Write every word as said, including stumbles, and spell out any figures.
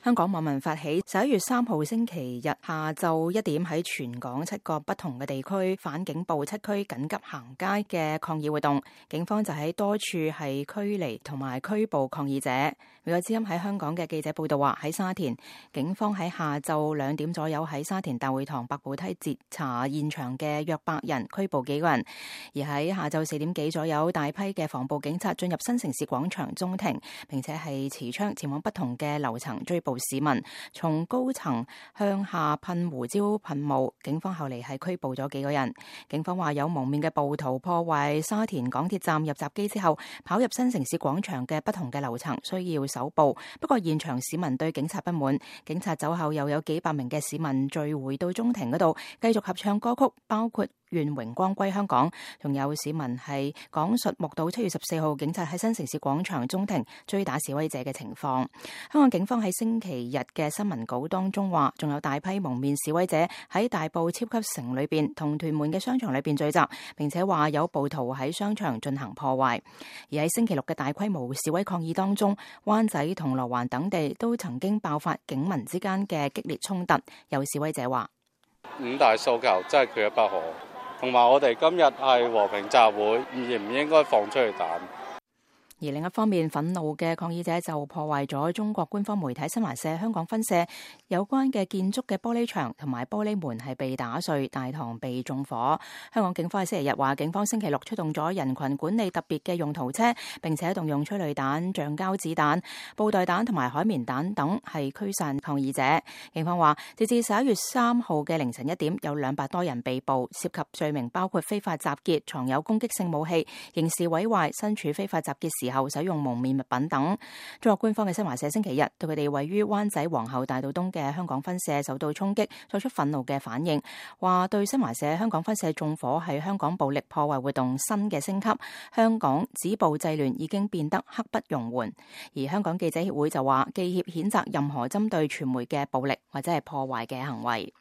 香港網民發起十一月三號星期日下晝一點喺全港七個不同嘅地區反警暴七區緊急行街嘅抗議活動，警方就喺多處係驅離同埋拘捕抗議者。美國之音喺香港嘅記者報道話，喺沙田，警方喺下晝兩點左右喺沙田大會堂百步梯截查現場嘅約百人，拘捕幾個人。而喺下晝四點幾左右，大批嘅防暴警察進入新城市廣場中庭，並且係持槍前往不同嘅樓層追捕市民，從高層向下噴胡椒噴霧，警方後嚟係拘捕咗幾個人。警方話有蒙面嘅暴徒破壞沙田港鐵站入閘機之後，跑入新城市廣場嘅不同嘅樓層，需要搜捕。不過現場市民對警察不滿，警察走後又有幾百名嘅市民聚會到中庭嗰度，繼續合唱歌曲，包括願榮光歸香港，仲有市民係講述目睹七月十四號警察喺新城市廣場中庭追打示威者嘅情況。香港警方喺星期日嘅新聞稿當中話，仲有大批蒙面示威者喺大埔超級城裏邊同屯門嘅商場裏邊聚集，並且話有暴徒喺商場進行破壞。而喺星期六嘅大規模示威抗議當中，灣仔、銅鑼灣等地都曾經爆發警民之間嘅激烈衝突。有示威者話：五大訴求真係缺一不可。同埋我哋今日係和平集會，應唔應該放出去彈？而另一方面，憤怒嘅抗議者就破壞咗中國官方媒體新華社香港分社有關嘅建築嘅玻璃牆同埋玻璃門係被打碎，大堂被縱火。香港警方喺星期日話，警方星期六出動咗人群管理特別嘅用途車，並且動用催淚彈、橡膠子彈、布袋彈同埋海綿彈等係驅散抗議者。警方話，截至十一月三號嘅凌晨一點，有兩百多人被捕，涉及罪名包括非法集結、藏有攻擊性武器、刑事毀壞、身處非法集結時後使用蒙面物品等。中國官方嘅新華社星期日對佢哋位於灣仔皇后大道東嘅香港分社受到衝擊作出憤怒嘅反應，話對新華社香港分社縱火係香港暴力破壞活動新嘅升級，香港止暴制亂已經變得刻不容緩。而香港記者協會就話，記協譴責任何針對傳媒嘅暴力或者係破壞嘅行為。